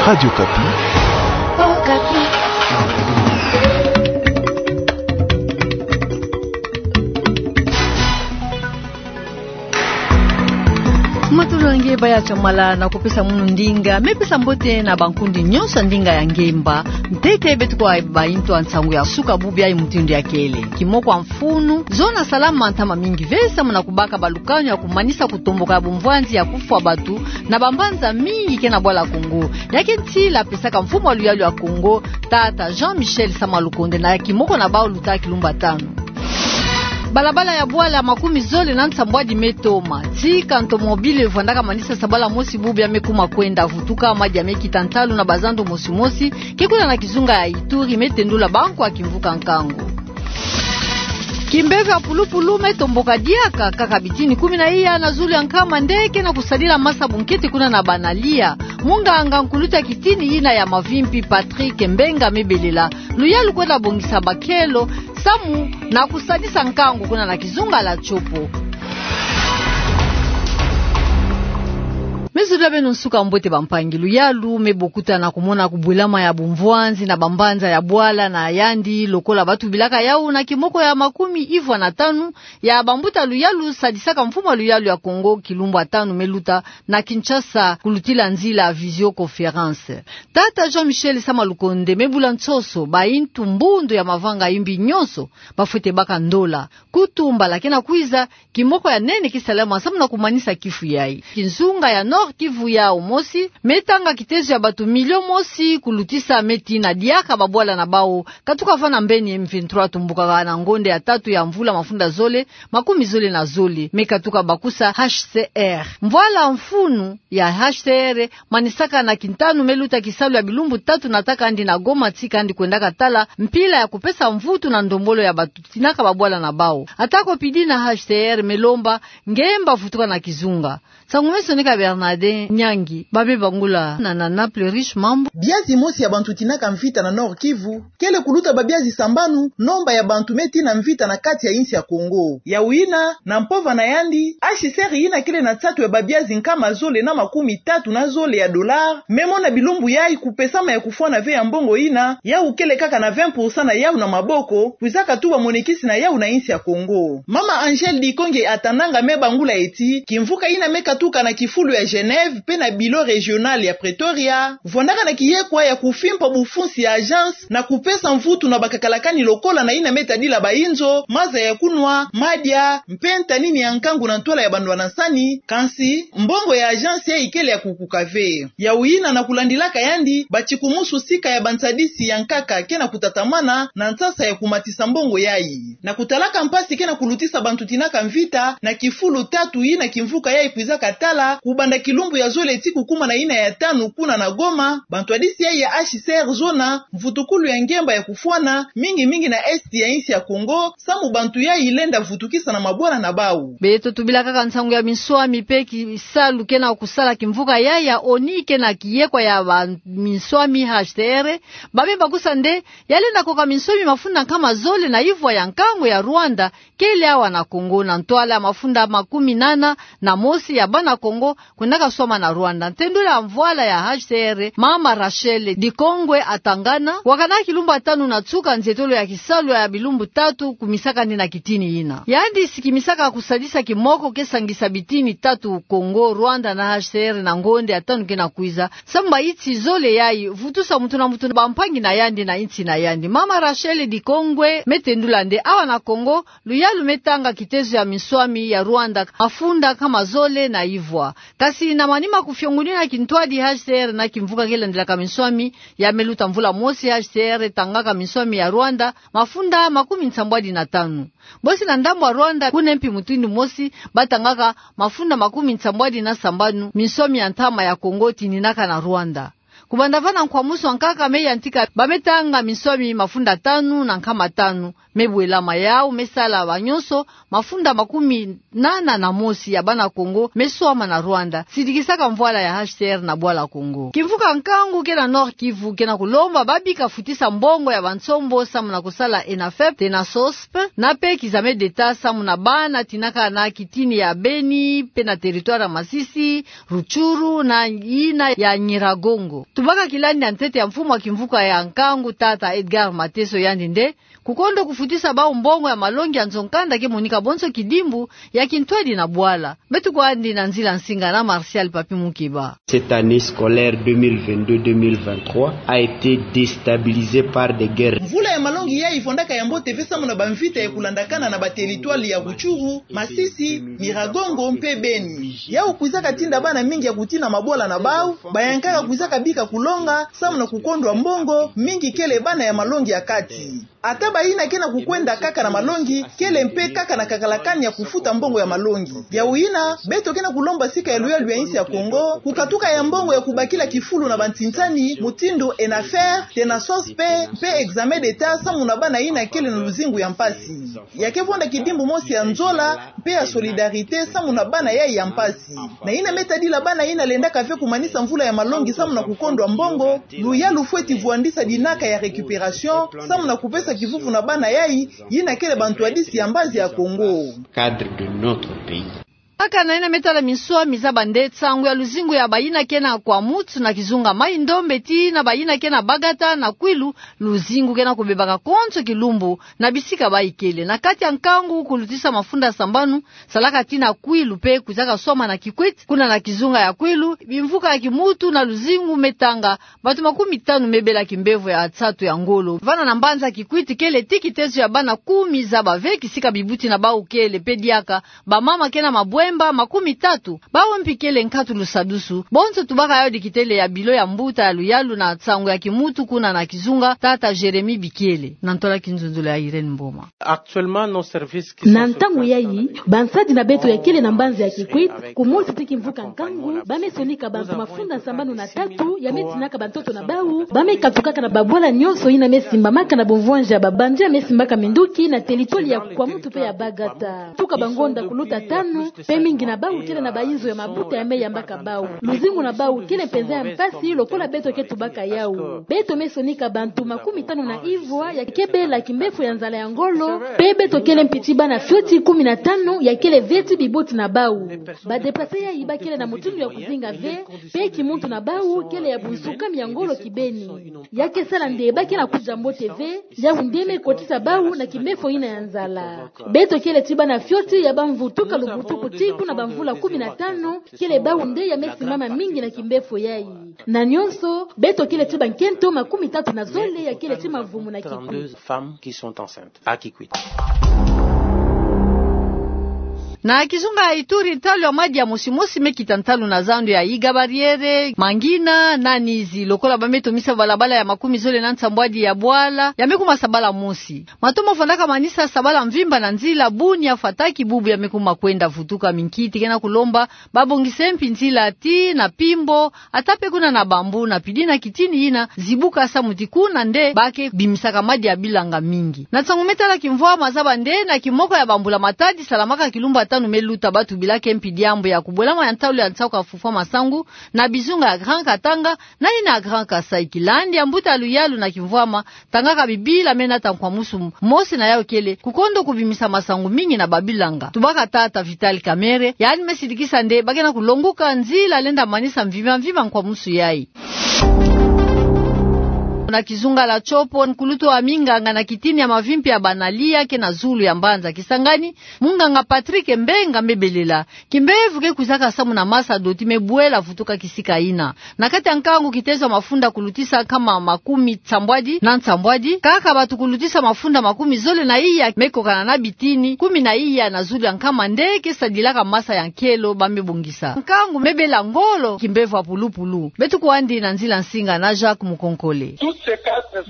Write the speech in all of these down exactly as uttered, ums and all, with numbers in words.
Radio Okapi. Matolo ya nge, baya tiamala na kupesa munu ndinga, me pesa mbote na bankundi nyonso ya ndinga ya ngemba. Ntete beto kwa baintu ya nsangu ya suka bubu ya mutindu ya kele. Kimoko ya mfunu, zona salama ntama mingi ve samu na kubaka balukanu ya kumanisa kutomboka ya bumvwanzi ya kufwa bantu na bambanza mingi ke na bwala Kongo. Ya ke ntila pesaka mfumu ya luyalu ya Kongo, tata Jean-Michel Sama Lukonde, na kimoko na bawu luta kilumbu ya tanu. Balabala ya bwala makumi zole na nsambwadi me toma. Tika ntomobile vwandaka manisa sabala mosi bubu ya me kuma kwenda vutuka, madia me kita ntalu na bazando mosi mosi ke kuna na kizunga ya Ituri, me tendula bankwa ya kimvuka nkangu. Kimpeve ya pulupulu me tomboka diaka, kaka bitini kumi na iya na zulu ya nkama nde ke na kusadila masa bunkete kuna na Banalia. Munganga nkulutu ya kitini yina ya mavimpi, Patrick Mbenga, me belela luyalu kwenda bongisa bakelo samu na kusadisa nkangu kuna na kizunga ya Tshopo. Me zolila beno nsuka mbote, bampangi. Luyalu me bokuta na kumona kubwelama ya bumvwanzi na bambanza ya bwala na yandi, lokola batubilaka yawu na kimoko ya makumi ivwa na tanu ya bambuta luyalu sadisaka mfumu ya luyalu ya Kongo kilumbu ya tanu me luta na Kinshasa, kulutila nzila visioconférence. Tata Jean-Michel Sama Lukonde me bula nsoso baintu mbundu ya mavanga yimbi nyonso bafwete baka ndola. Kutu mbala ke na kwiza, kimoko ya nene ke salama samu na kumanisa kifu yayi. Kizunga ya Nord-Kivu yawu mosi me tanga kitezo ya bantu milio mosi kulutisa me tina diaka babwala na bawu katuka vana mbeni M vingt-trois tumbukaka na ngonde ya tatu ya mvula mafunda zole makumi zole na zole, me katuka bakusa H C R. Mvwala mfunu ya H C R manisaka na kintanu me luta kisalu ya bilumbu tatu, nataka yandi na Goma, tika yandi kwendaka tala mpila ya kupesa mvutu na ndombolo ya bantu tinaka babwala na bawu. Atako pidi na H C R, me lomba ngemba vutuka na kizunga. Nsangu me soneka Bernardin Nyangi, ba me bangula na, na Naples Riche Mambu. Biazi mosi ya bantu tinaka mvita na Nord-Kivu kele kuluta babiazi sambanu, nomba ya bantu me tina mvita na kati ya insi ya Kongo. Yawu yina, na mpova na yandi, H C R yina kele na nsatu ya babiazi nkama zole na makumi tatu na zole ya dollars me mona bilumbu yayi kupesama ya kufwana ve ya mbongo yina, yawu kele kaka na vingt pour cent na yawu na maboko, kwizaka tuba monekisi na yawu na insi ya Kongo. Mama Angèle Dikonge Atananga me bangula ti kimvuka yina me katuka na kifulu ya Genève mpe na bureau régional ya Pretoria, vwandaka na kiyekwa ya kufimpa bufunsi ya agence na kupesa mvutu na bakakalakani lokola na yina me tadila bainzo, maza ya kunwa, madia, mpe ntanini ya nkangu na ntwala ya bandwanansani, kansi mbongo ya agence yayi kele ya kukuka ve. Yawu yina, na kulandilaka yandi, batikumusu sika ya bansadisi ya nkaka ke na kutatamana na nsasa ya kumatisa mbongo yayi. Na kutalaka mpasi ke na kulutisa bantu tinaka mvita na kifulu tatu yina kimvuka yayi kwizaka tala, kubanda kilumbu ya zole tii kukuma na yina ya tanu kuna na Goma, bantwadisi yayi ya H C R zona mvutukulu ya ngemba ya kufwana, mingi mingi na est ya insi ya Kongo, samu bantu yayi lenda vutukisa na mabwala na bawu. Beto tubila kaka nsangu ya minswami mpe kisalu ke na kusala kimvuka yayi ya ONI ke na kiyekwa ya baminswami H C R, ba me bakusa nde ya lenda koka minswami mafunda nkama zole na ivwa ya nkangu ya Rwanda kele awa na Kongo, na ntwala ya mafunda makumi nana na mosi ya bana Kongo kwendaka swama na Rwanda. Ntendwela ya mvwala ya H C R, mama Rachel Dikongwe Atangana, wakana kilumbu ya tanu na nsuka nzietolo ya kisalu ya bilumbu tatu kumisaka yandi na kitini yina. Yandi sikimisaka kusadisa kimoko ke sangisa bitini tatu Kongo, Rwanda na H C R na ngonde ya tanu ke na kwiza, samu bainsi zole yayi vutusa muntu na muntu na bampangi na yandi na insi na yandi. Mama Rachel Dikongwe me tendula nde awa na Kongo, luyalu me tanga kitezo ya minswami ya Rwanda mafunda nkama zole na ivwa. Kasi na manima kufiongunina kintwadi H C R na kimvuka ke landilaka minswami, ya me luta mvula mosi H C R tangaka minswami ya Rwanda mafunda makumi nsambwadi na tanu. Bosi na ndambu ya Rwanda, kuna mpi mutindu mosi, batangaka mafunda makumi nsambwadi na sambanu minswami ya ntama ya Kongo tininaka na Rwanda. Kubanda vana, nkwamusu ya nkaka me yantika ba me tanga minswami mafunda tanu na nkama tanu. Me bwelama yawu me sala banyonso mafunda makumi nana na mosi ya bana Kongo me swama na Rwanda, sidikisaka mvwala ya H C R na bwala Kongo. Kimvuka nkangu ke na Nord-Kivu ke na kulomba ba bika futisa mbongo ya bansombo samu na kusala ENAFEP, ENASSOSP, na mpe kizame d'Etat samu na bana tinaka na kitini ya Beni, mpe na territoire ya Masisi, Rutshuru na yina ya Nyiragongo. Tubaka kilandi ya ntete ya mfumu wa kimvuka ya nkangu, tata Edgar Mateso, yandi nde kukondo kufutisa bawu mbongo ya malongi ya nzo-nkanda ke monika bonso kidimbu ya kintwadi na bwala. Beto kwandi na nzila nsinga na Martial Papi Mukeba. Cette année scolaire deux mille vingt-deux deux mille vingt-trois a été déstabilisée par des guerres. Mvula ya malongi yayi vwandaka ya mbote ve samu na bamvita ya kulandakana na bateritware ya Rutshuru, Masisi, Nyiragongo mpe Beni. Yawu kwizaka tinda bana mingi ya kutina mabwala na bawu, bayankaka kwizaka bika kulonga samu na kukondwa mbongo, mingi kele bana ya malongi ya kati. Ata bayina ke na kukwenda kaka na malongi, kele mpe kaka na kakalakani ya kufuta mbongo ya malongi. Yawu yina, beto ke na kulomba sika ya luyalu ya insi ya Kongo kukatuka ya mbongo ya kubakila kifulu na bantinsani mutindu ENAFER, TENASOSP, mpe examen d'État samu na bana yina kele na luzingu ya mpasi. Ya ke vwanda kidimbu mosi ya nzola mpe ya solidarité samu na bana yayi ya mpasi. Na yina me tadila bana yina lendaka ve kumanisa mvula ya malongi samu na kukondwa mbongo, luyalu fweti vwandisa dinaka ya récupération samu na kupesa kivuvu na bana yayi, yina kele bantwadisi ya mbazi ya Kongo. Cadre de notre pays. Kaka na yina me tala minswa, mizaba nde nsangu ya luzingu ya bayina ke na Kwamouth na kizunga Maï-Ndombe tii na bayina ke na Bagata na Kouilou, luzingu ke na kubebaka konso kilumbu na bisika bayi kele. Na kati ya nkangu, kulutisa mafunda sambanu salaka tii na Kouilou mpe kwizaka swama na Kikwit, kuna na kizunga ya Kouilou, bimvuka ya Kimoutou na luzingu me tanga, bato makumi tanu me bela kimbevo ya nsatu ya ngolo. Vana na mbanza Kikwit kele tii kitezo ya bana kumi zaba ve kisika bibuti na bawu kele mpe diaka, bamama ke na mabwemba makumi tatu, bawu mpi kele nkatu lusadusu. Bonso tubaka yawu dikitele ya bilo ya mbuta ya luyalu na nsangu ya Kimoutou kuna na kizunga, tata Jérémie Bikiele, na ntola kinzonzolo ya Irène Mboma. Actuellement, nos services qui sont sur place dans la région. Na ntangu yayi, bansadi na beto ya kele na mbanza ya Kikwit, kumosi tii kimvuka nkangu, ba me sonika bantu mafunda sambanu na tatu ya me tinaka bantoto na bawu, ba me katukaka na babwala nyonso yina me simbamaka na bumvwanja ya babandi ya me simbaka minduki na teritware ya Kwamouth mpe ya Bagata. Tuka bangonda kuluta tanu, mpe mingi na bawu kele na bayizo ya mabuta ya me yambaka bawu. Luzingu na bawu kele mpenza ya mpasi lokola beto ke tubaka yawu. Beto me sonika bantu makumi tanu na ivwa ya ke bela kimbefo ya nzala ya ngolo, mpe beto kele mpi tii bana fioti kumi na tanu ya kele ve tii bibuti na bawu. Ba déplacés yayi ba kele na mutindu ya kuzinga ve, mpe kimuntu na bawu kele ya bunsukami ya ngolo kibeni. Ya ke sala nde ba ke na kudia mbote ve, yawu nde me kotisa bawu na kimbefo yina ya nzala. Beto kele tii bana fioti ya ba mvutuka lubutuku tii kuna bamvula kumi na tanu, kele bawu nde ya me simbama mingi na kimbefo yayi. Na nyonso, beto kele tii bankento makumi tatu na zole ya kele tii mavumu na Kikwit. Trente-deux femmes qui sont enceintes à Kikwit. Na kizunga ya Ituri, ntalu ya madi ya mosimosi me kita ntalu na zando ya Iga Barriere, Mangina na Nizi, lokola ba me tomisa balabala ya makumi zole na nsambwadi ya bwala, ya me kuma sabala mosi. Mato mavwandaka manisa sabala mvimba na nzila Bunia, Fataki, bubu ya me kuma kwenda vutuka. Minkiti ke na kulomba ba bongisa mpi nzila tii na Pimbo, ata mpe kuna na Bambou, na pidi na kitini yina zibuka samu ti kuna nde ba ke bimisaka madi ya bilanga mingi. Na nsangu me tala kimvwama, zaba nde na kimoko ya bambula-matadi salamaka kilumbu tanu me luta, ba tubila ke mpi diambu ya kubwelama ya ntalu ya nsaka fufwa masangu na bizunga ya Grand Katanga, na yina ya Grand Kasaï. Kilandi ya mbuta luyalu na kimvwama, tangaka bibila me nata nkwamusu mosi na yawu kele kukondo kubimisa masangu mingi na babilanga. Tubaka tata Vital Kamerhe, yandi me sidikisa nde ba ke na kulonguka nzila lenda manisa mvimba mvimba nkwamusu yayi. Na kizunga la Tshopo, nkulutu wa minganga na kitini ya mavimpi ya banalia ke na zulu ya mbanza Kisangani, munganga Patrick Mbenga me belela kimbevo ke kwizaka samu na masa doti me bwela vutuka kisika yina. Na kati ya nkangu, kitezo ya mafunda kulutisa nkama makumi nsambwadi na nsambwadi, kaka bato kulutisa mafunda makumi zole na iya me kokana na bitini kumi na iya na zulu ya nkama nde ke sadilaka masa ya nkelo ba me bongisa. Nkangu me bela ngolo, kimbevo ya pulupulu. Beto kwandi na nzila nsinga na Jacques Mukonkole.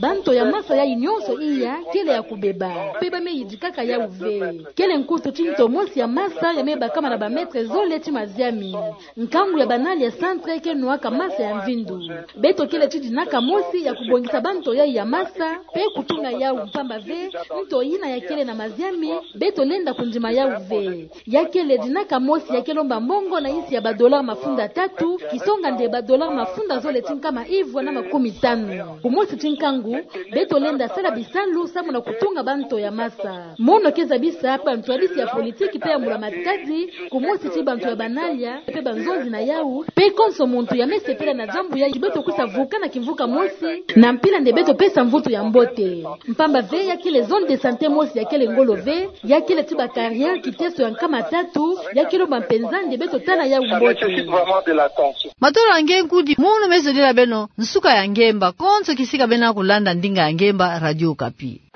Banto ya masa yayi nyonso iya kele ya kubeba, mpe ba me yidikaka yawu ve. Kele nkutu ti nto mosi ya masa ya me bakama na ba mètres zole ti maziami. Nkangu ya banalia centre ke nwaka masa ya mvindu. Beto kele ti dinaka mosi ya kubongisa banto yayi ya masa, mpe kutuna yawu, mpamba ve nto yina ya kele na maziami, beto lenda kundima yawu ve. Ya kele dinaka mosi ya ke lomba mbongo na insi ya ba dollars mafunda tatu, kisonga nde ba dollars mafunda zole ti nkama ivwa na makumi tanu. Kumosi ti nkangu ntangu, beto lenda sala bisalu samu na kutunga banto ya masa. Mono ke zabisa bantwadisi ya politiki pe ya mbula-matadi, kumosi ti banto ya banalia pe banzonzi na yau, pe konso muntu ya me sepela na diambu yayi, beto kwiza vuka na kimvuka mosi, na mpila nde beto pesa mvutu ya mbote. Mpamba ve ya kele zone de santé mosi ya kele ngolo ve, ya kele ti ba carrière kiteso ya nkama tatu, ya kele mba mpenza nde beto tala yau mbote. Matolo ya nge nkudi, mono me zodila beno nsuka ya ngemba, konso kisika beno kulanda ndinga ya ngemba, Radio Okapi.